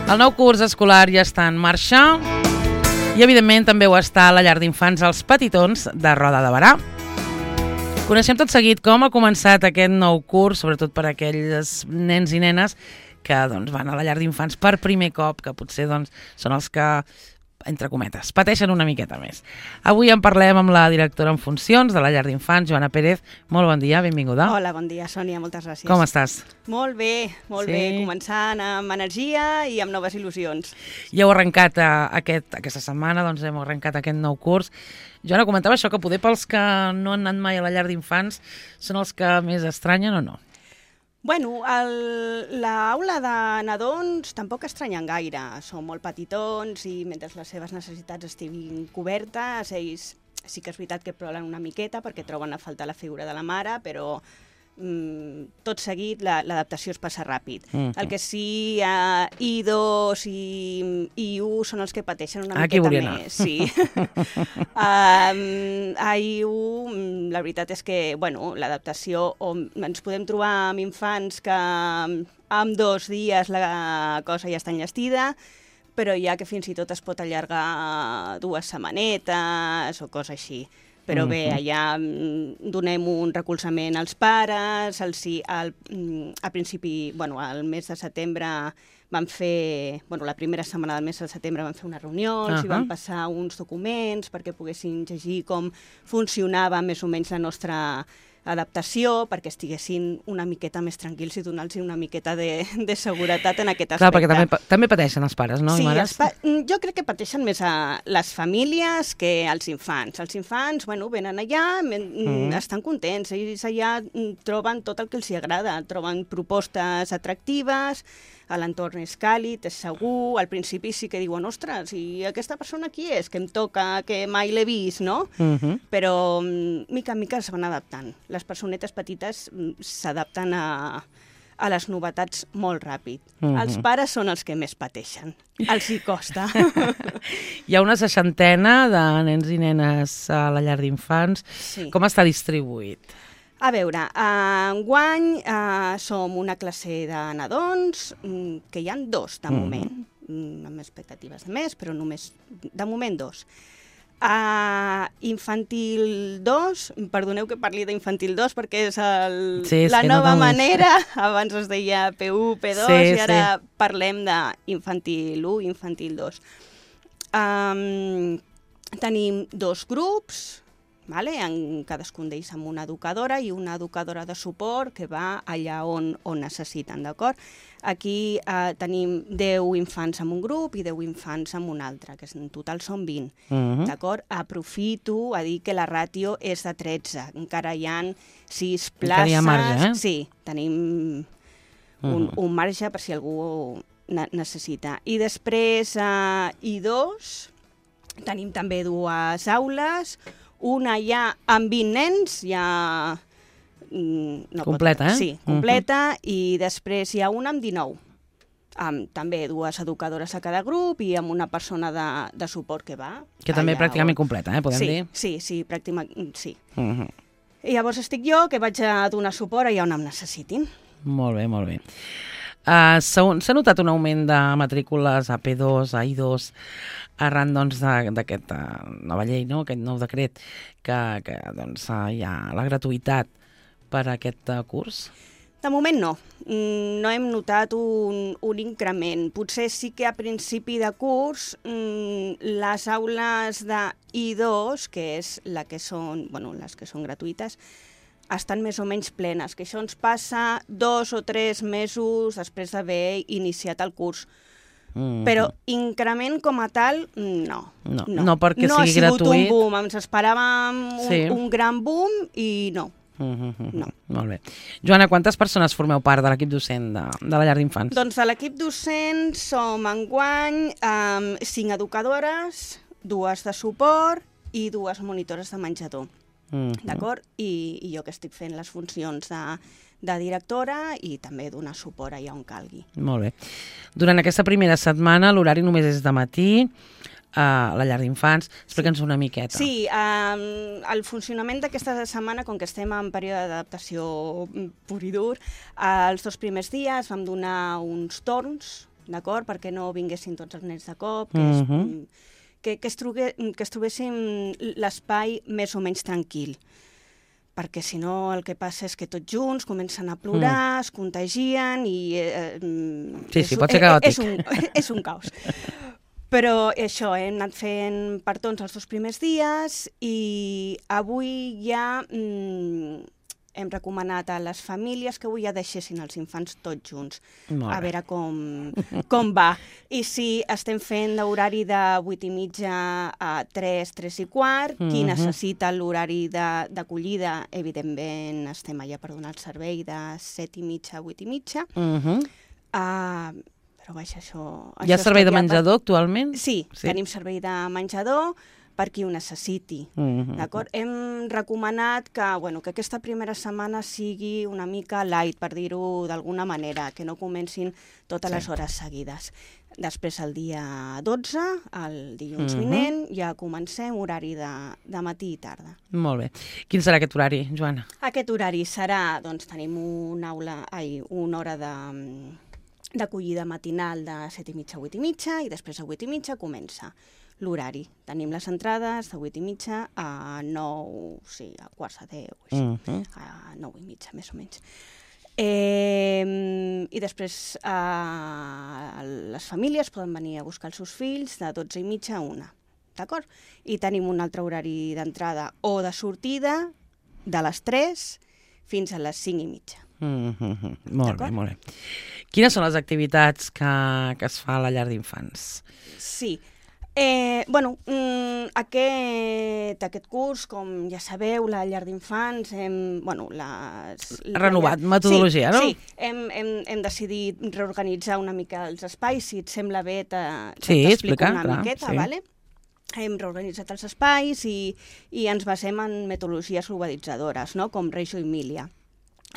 El nou curs escolar ja està en marxa i, evidentment, també ho està a la llar d'infants Els Petitons de Roda de Berà. Coneixem tot seguit com ha començat aquest nou curs, sobretot per a aquells nens i nenes que van a la llar d'infants per primer cop, que potser són els que, entre cometes, pateixen una miqueta més. Avui en parlem amb la directora en funcions de la llar d'infants, Joana Pérez. Molt bon dia, benvinguda. Hola, bon dia, Sònia, moltes gràcies. Com estàs? Molt bé, començant amb energia i amb noves il·lusions. Ja heu arrencat aquesta setmana, hem arrencat aquest nou curs. Joana, comentava això, que poder pels que no han anat mai a la llar d'infants són els que més estranyen o no? Bueno, l'aula de nadons tampoc estranyen gaire. Són molt petitons i mentre les seves necessitats estiguin cobertes, ells sí que és veritat que ploren una miqueta perquè troben a faltar la figura de la mare, però tot seguit l'adaptació es passa ràpid. El que sí, I2 i I1 són els que pateixen una miqueta més. Sí. A I1, la veritat és que l'adaptació, ens podem trobar amb infants que en 2 dies la cosa ja està enllestida, però ja que fins i tot es pot allargar 2 setmanetes o cosa així. Però bé, allà donem un recolzament als pares, al principi, al mes de setembre vam fer, la primera setmana del mes de setembre vam fer una reunió, els hi vam passar uns documents perquè poguessin llegir com funcionava més o menys la nostra adaptació, perquè estiguessin una miqueta més tranquils i donar-los una miqueta de seguretat en aquest aspecte. Clar, perquè també pateixen els pares, no? Sí, jo crec que pateixen més a les famílies que als infants. Els infants, venen allà, estan contents, ells allà troben tot el que els agrada, troben propostes atractives, l'entorn és càlid, és segur, al principi sí que diuen, ostres, i aquesta persona qui és? Que em toca, que mai l'he vist, no? Però mica en mica es van adaptant. Les personetes petites s'adapten a les novetats molt ràpid. Els pares són els que més pateixen. Els hi costa. Hi ha una 60 de nens i nenes a la llar d'infants. Sí. Com està distribuït? A veure, enguany som una classe de nadons, que hi ha 2 de moment, amb expectatives de més, però només de moment 2. Infantil 2, perdoneu que parli d'infantil 2 perquè és la nova manera, abans es deia P1, P2 i ara parlem d'infantil 1, infantil 2. Tenim 2 grups, en cadascun d'ells amb una educadora i una educadora de suport que va allà on necessiten, d'acord? Aquí tenim 10 infants en un grup i 10 infants en un altre, que en total són 20, d'acord? Aprofito a dir que la ràtio és de 13, encara hi ha 6 places. Encara hi ha marge, Sí, tenim un marge per si algú necessita. I després, I2, tenim també 2 aules, una ja amb 20 nens, ja... completa, Sí, completa, i després hi ha una amb 19, amb també 2 educadores a cada grup i amb una persona de suport que va. Que també pràcticament completa, podem dir? Sí, pràcticament, sí. I llavors estic jo, que vaig a donar suport allà on em necessitin. Molt bé, molt bé. S'ha notat un augment de matrícules a P2, a I2, arran d'aquesta nova llei, aquest nou decret, que hi ha la gratuïtat per a aquest curs? De moment no. No hem notat un increment. Potser sí que a principi de curs les aules de I2, que és les que són gratuïtes, estan més o menys plenes, que això ens passa 2 o 3 mesos després d'haver iniciat el curs. Però increment com a tal, no. No perquè sigui gratuït. No ha sigut un boom, ens esperàvem un gran boom i no. No. Molt bé. Joana, quantes persones formeu part de l'equip docent de la llar d'infants? Doncs de l'equip docent som enguany 5 educadores, 2 de suport i 2 monitores de menjador. D'acord? I jo que estic fent les funcions de directora i també donar suport allà on calgui. Molt bé. Durant aquesta primera setmana l'horari només és de matí, a la llar d'infants. Explica'ns una miqueta. Sí, el funcionament d'aquesta setmana, com que estem en període d'adaptació pur i dur, els 2 primers dies vam donar uns torns d'acord? Perquè no vinguessin tots els nens de cop, que es trobessin l'espai més o menys tranquil. Perquè si no el que passa és que tots junts comencen a plorar, es contagien i... Sí, pot ser caòtic. És un caos. Però això, hem anat fent partons els 2 primers dies i avui ja hem recomanat a les famílies que avui ja deixessin els infants tots junts, a veure com va. I sí, estem fent l'horari de 8:30 a 3, 3 i quart. Qui necessita l'horari d'acollida, evidentment estem allà per donar el servei de 7:30 a 8:30. Però vaja, això... Hi ha servei de menjador actualment? Sí, tenim servei de menjador per qui ho necessiti. D'acord? Hem recomanat que aquesta primera setmana sigui una mica light, per dir-ho d'alguna manera, que no comencin totes les hores seguides. Després, el dia 12, el dilluns vinent, ja comencem horari de matí i tarda. Molt bé. Quin serà aquest horari, Joana? Aquest horari serà, doncs, tenim una hora d'acollida matinal de 7:30 a 8:30 i després a 8:30 comença l'horari. Tenim les entrades de 8:30 a 9, sí, a 9:45, a 9:30, més o menys. I després les famílies poden venir a buscar els seus fills de 12:30 a 1, d'acord? I tenim un altre horari d'entrada o de sortida de les 3 fins a les 5:30. Molt bé, molt bé. Quines són les activitats que es fa a la llar d'infants? Sí. Aquest curs, com ja sabeu, la llar d'infants hem... renovat metodologia, no? Sí, hem decidit reorganitzar una mica els espais, si et sembla bé t'explico una miqueta, vale? Hem reorganitzat els espais i ens basem en metodologies globalitzadores, no? Com Reggio Emilia.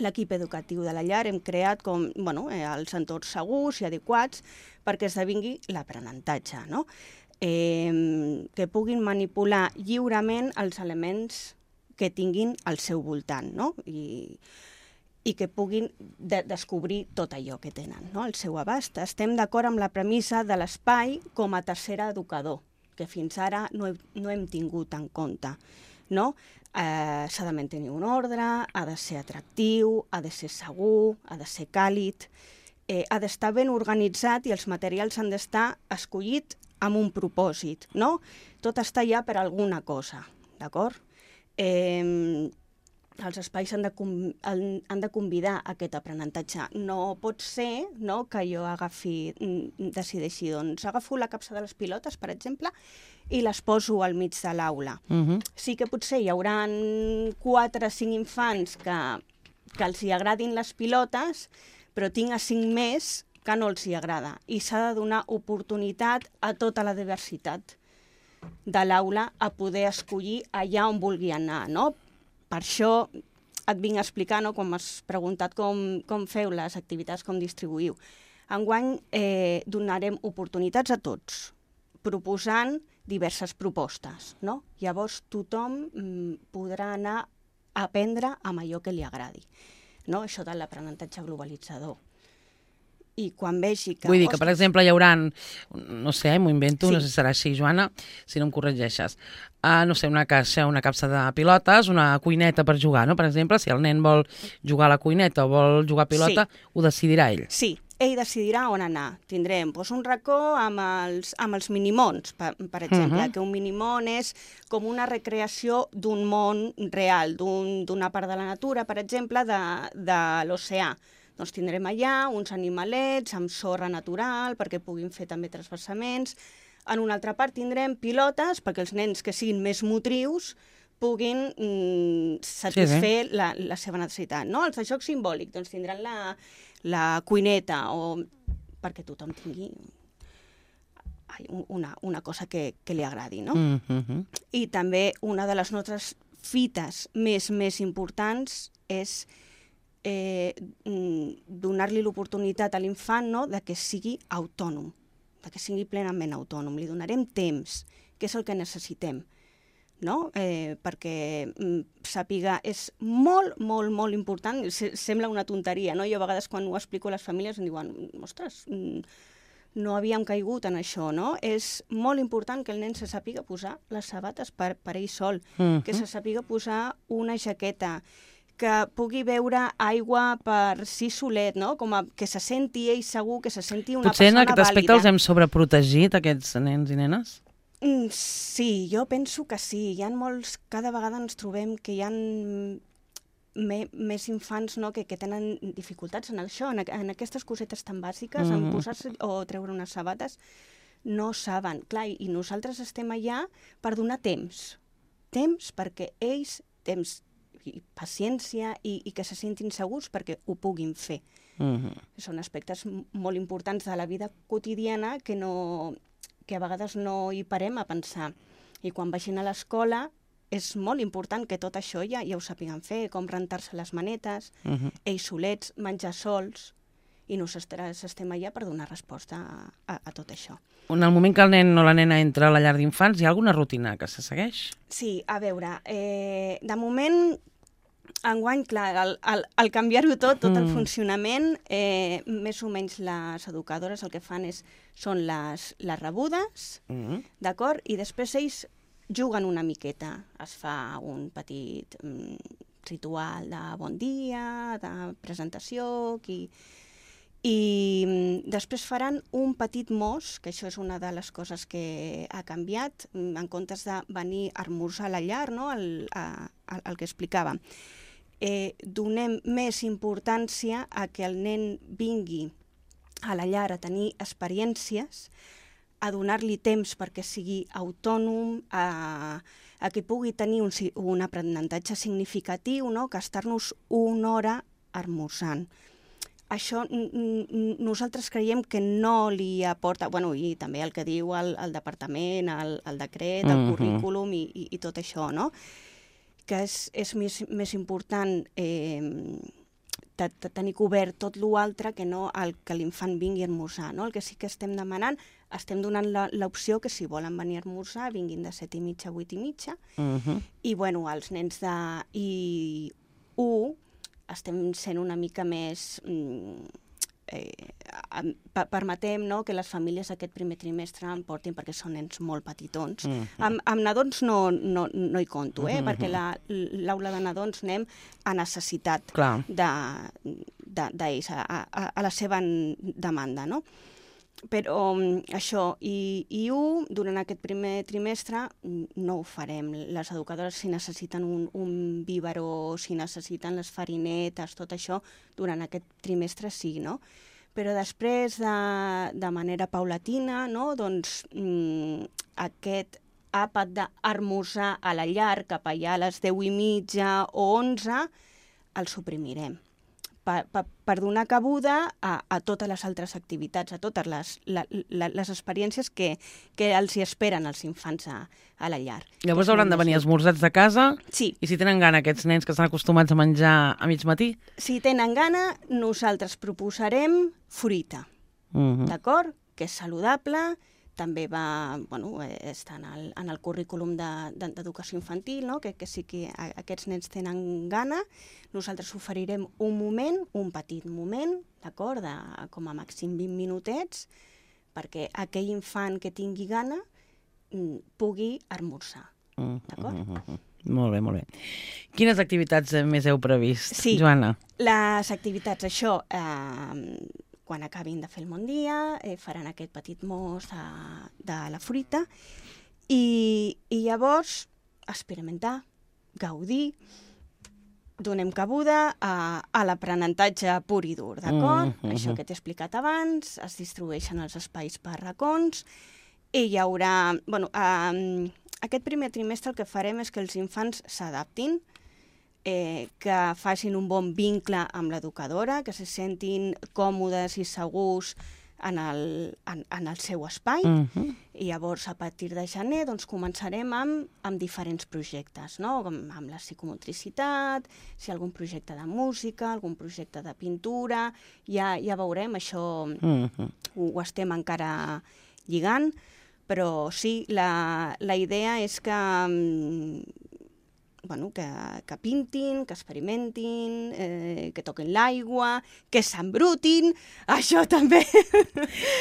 L'equip educatiu de la llar hem creat els entorns segurs i adequats perquè esdevingui l'aprenentatge, no? Que puguin manipular lliurement els elements que tinguin al seu voltant, no? I que puguin descobrir tot allò que tenen, no? Al seu abast. Estem d'acord amb la premissa de l'espai com a tercer educador, que fins ara no hem tingut en compte, no? S'ha de mantenir un ordre, ha de ser atractiu, ha de ser segur, ha de ser càlid, ha d'estar ben organitzat i els materials han d'estar escollits amb un propòsit, no? Tot està ja per alguna cosa, d'acord? Els espais han de convidar a aquest aprenentatge. No pot ser, no, que jo decideixi, doncs agafo la capsa de les pilotes, per exemple, i les poso al mig de l'aula. Sí que potser hi haurà 4 o 5 infants que els hi agradin les pilotes, però tinc a 5 més que no els hi agrada. I s'ha de donar oportunitat a tota la diversitat de l'aula a poder escollir allà on vulgui anar, no? Per això et vinc a explicar, no, com m'has preguntat com feu les activitats, com distribuïu. Enguany donarem oportunitats a tots, proposant diverses propostes, no? Llavors tothom podrà anar a aprendre amb allò que li agradi, no? Això de l'aprenentatge globalitzador. I quan vegi que... Vull dir que, per exemple, hi haurà, no sé, m'ho invento, no sé si serà així, Joana, si no em corregeixes, no sé, una capsa de pilotes, una cuineta per jugar, no? Per exemple, si el nen vol jugar a la cuineta o vol jugar a pilota, ho decidirà ell. Sí, ell decidirà on anar. Tindrem un racó amb els minimons, per exemple, que un minimon és com una recreació d'un món real, d'una part de la natura, per exemple, de l'oceà. Doncs tindrem allà uns animalets amb sorra natural perquè puguin fer també transversaments. En una altra part tindrem pilotes perquè els nens que siguin més motrius puguin satisfer la seva necessitat. No? Els de joc simbòlic doncs tindran la cuineta perquè tothom tingui una cosa que li agradi. No? I també una de les nostres fites més importants és donar-li l'oportunitat a l'infant, no, de que sigui autònom, de que sigui plenament autònom. Li donarem temps, que és el que necessitem, no? Perquè sàpiga, és molt, molt, molt important, sembla una tonteria, no? Jo a vegades quan ho explico a les famílies em diuen, ostres, no havíem caigut en això, no? És molt important que el nen se sàpiga posar les sabates per ell sol, que se sàpiga posar una jaqueta, que pugui beure aigua per si solet, no? Que se senti ell segur, que se senti una Potser persona en aquest aspecte vàlida. els hem sobreprotegit, aquests nens i nenes? Sí, jo penso que sí. Hi ha molts... Cada vegada ens trobem que hi ha més infants, no?, que tenen dificultats en això, en aquestes cosetes tan bàsiques, en posar-se o treure unes sabates, no saben. Clar, i nosaltres estem allà per donar temps. Temps perquè ells, temps i paciència i que se sentin segurs perquè ho puguin fer. Són aspectes molt importants de la vida quotidiana que a vegades no hi parem a pensar. I quan vagin a l'escola és molt important que tot això ja ho sàpiguen fer, com rentar-se les manetes, ells solets, menjar sols, i nosaltres estem allà per donar resposta a tot això. En el moment que el nen o la nena entra a la llar d'infants, hi ha alguna rutina que se segueix? Sí, a veure, de moment, enguany, clar, al canviar-ho tot el funcionament, més o menys les educadores el que fan són les rebudes, d'acord? I després ells juguen una miqueta. Es fa un petit ritual de bon dia, de presentació, i després faran un petit mos, que això és una de les coses que ha canviat, en comptes de venir a esmorzar a la llar, no?, el que explicava. Donem més importància a que el nen vingui a la llar a tenir experiències, a donar-li temps perquè sigui autònom, a que pugui tenir un aprenentatge significatiu, no?, que estar-nos una hora esmorzant. Això nosaltres creiem que no li aporta, bueno, i també el que diu el departament, el decret, el currículum i tot això, no?, que és més important tenir cobert tot l'altre que no que l'infant vingui a esmorzar, no? El que sí que estem demanant, estem donant l'opció que si volen venir a esmorzar vinguin de 7:30 a 8:30, i bueno, els nens de I1 estem sent una mica més... permetem, no?, que les famílies aquest primer trimestre en portin perquè són nens molt petitons. Amb nadons no hi conto, perquè l'aula de nadons anem a necessitat d'ells, a la seva demanda, no? Però això, i durant aquest primer trimestre no ho farem. Les educadores, si necessiten un biberó, si necessiten les farinetes, tot això, durant aquest trimestre sí, no? Però després, de manera paulatina, no?, doncs aquest àpat d'esmorzar a la llar cap allà a les 10:30 o 11 el suprimirem. Per donar cabuda a totes les altres activitats, a totes les experiències que els hi esperen els infants a la llar. Llavors hauran de venir esmorzats de casa? Sí. I si tenen gana aquests nens que estan acostumats a menjar a mig matí? Si tenen gana, nosaltres proposarem fruita, d'acord? Que és saludable, també està en el currículum d'educació infantil, no?, que sí que aquests nens tenen gana. Nosaltres oferirem un petit moment, d'acord, de com a màxim 20 minutets, perquè aquell infant que tingui gana pugui esmorzar, d'acord? Molt bé, molt bé. Quines activitats més heu previst, sí, Joana? Les activitats, això... quan acabin de fer el bon dia, faran aquest petit mos de la fruita i llavors experimentar, gaudir, donem cabuda a l'aprenentatge pur i dur, d'acord? Això que t'he explicat abans, es distribueixen els espais per racons i hi haurà... Aquest primer trimestre el que farem és que els infants s'adaptin, que facin un bon vincle amb l'educadora, que se sentin còmodes i segurs en el seu espai. I llavors, a partir de gener, doncs, començarem amb diferents projectes, no? Amb la psicomotricitat, si algun projecte de música, algun projecte de pintura, ja veurem, això ho estem encara lligant, però sí, la idea és que que pintin, que experimentin, que toquin l'aigua, que s'embrutin. Això també...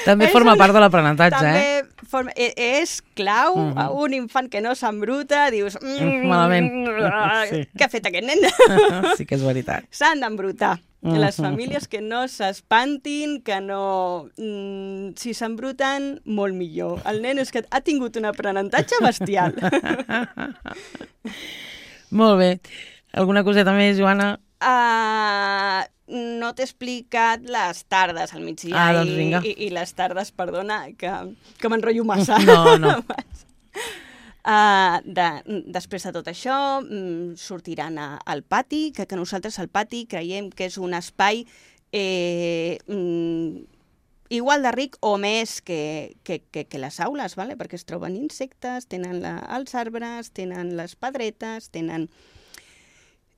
També forma part de l'aprenentatge, És clau. Un infant que no s'embruta, dius... Malament. Què ha fet aquest nen? Sí que és veritat. S'han d'embrutar. Les famílies que no s'espantin, que no... Si s'embruten, molt millor. El nen és que ha tingut un aprenentatge bestial. Molt bé. Alguna coseta més, Joana? No t'he explicat les tardes al migdia doncs vinga. i les tardes, perdona, que m'enrotllo massa. No. Després de tot això, sortiran al pati, que nosaltres al pati creiem que és un espai igual de ric o més que les aules, vale? Perquè es troben insectes, tenen els arbres, tenen les pedretes, tenen...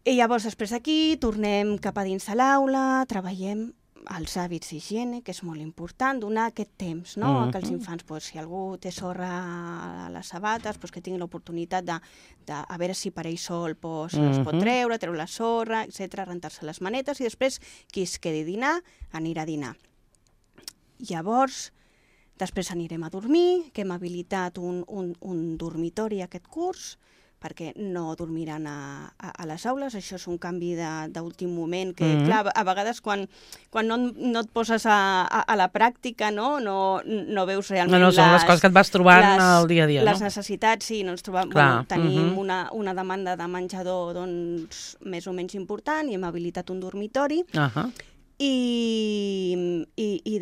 I llavors, després d'aquí, tornem cap a dins de l'aula, treballem els hàbits d'higiene, que és molt important, donar aquest temps, no? Que els infants, si algú té sorra a les sabates, que tinguin l'oportunitat de a veure si per ell sol es pot treure la sorra, etc., rentar-se les manetes, i després qui es quedi a dinar, anirà a dinar. Llavors, després anirem a dormir, que hem habilitat un dormitori aquest curs, perquè no dormiran a les aules. Això és un canvi d'últim moment que, clar, a vegades quan no et poses a la pràctica, no veus realment són les coses que et vas trobant al dia a dia, no? Les necessitats, sí, no ens trobem... Tenim una demanda de menjador doncs, més o menys important i hem habilitat un dormitori. I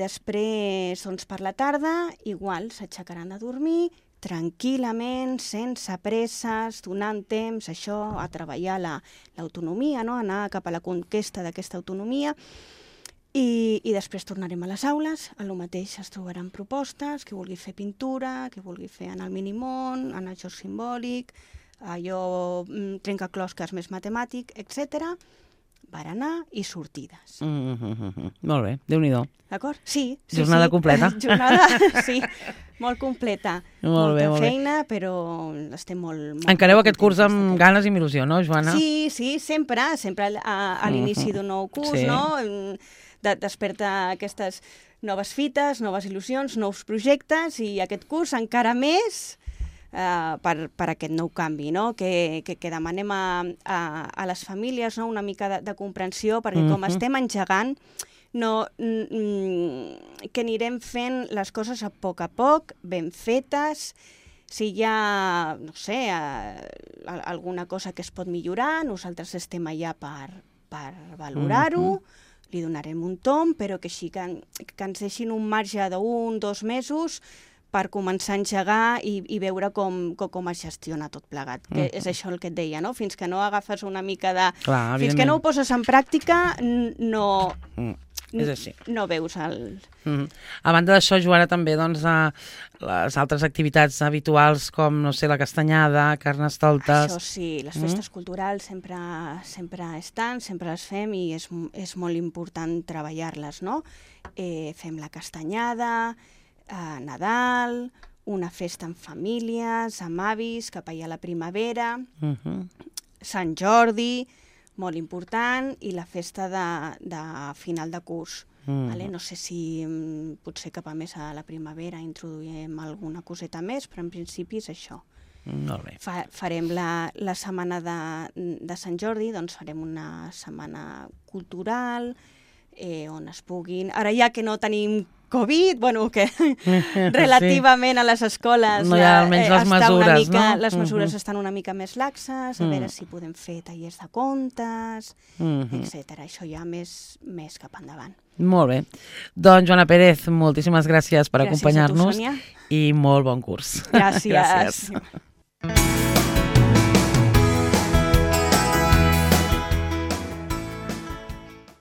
després, doncs, per la tarda, igual, s'aixecaran a dormir, tranquil·lament, sense presses, donant temps a treballar l'autonomia, no? Anar cap a la conquesta d'aquesta autonomia, i després tornarem a les aules, a lo mateix es trobaran propostes, qui vulgui fer pintura, qui vulgui fer anar al minimón, anar al joc simbòlic, allò trencaclosques més matemàtic, etc. Berenar i sortides. Molt bé, Déu-n'hi-do. D'acord? Sí. Jornada completa. Jornada, sí, molt completa. Molta feina, però estem molt... Encareu aquest curs amb ganes i amb il·lusió, no, Joana? Sí, sempre a l'inici d'un nou curs, no? Desperta aquestes noves fites, noves il·lusions, nous projectes, i aquest curs encara més per aquest nou canvi, no? Que demanem a les famílies, no? Una mica de comprensió, perquè com estem engegant, que anirem fent les coses a poc, ben fetes. Si hi ha, no sé, alguna cosa que es pot millorar, nosaltres estem allà per valorar-ho, li donarem un tomb, però que així que ens deixin un marge d'1 o 2 mesos per començar a engegar i veure com es gestiona tot plegat. Que és això el que et deia, no? Fins que no agafes una mica de... Fins que no ho poses en pràctica, no... És així. No veus el... A banda d'això, Joana, també les altres activitats habituals com, no sé, la castanyada, carnestoltes... Això sí, les festes culturals sempre estan, sempre les fem i és molt important treballar-les, no? Fem la castanyada, Nadal, una festa amb famílies, amb avis, cap allà a la primavera, Sant Jordi... molt important, i la festa de final de curs. No sé si potser cap a més a la primavera introduïm alguna coseta més, però en principi és això. Molt bé. Farem la setmana de Sant Jordi, doncs farem una setmana cultural, on es puguin... Ara ja que no tenim Covid, bueno, que relativament a les escoles no hi ha almenys les mesures, no? Les mesures estan una mica més laxes, a veure si podem fer tallers de contes, etc. Això ja més cap endavant. Molt bé. Doncs, Joana Pérez, moltíssimes gràcies per acompanyar-nos i molt bon curs. Gràcies.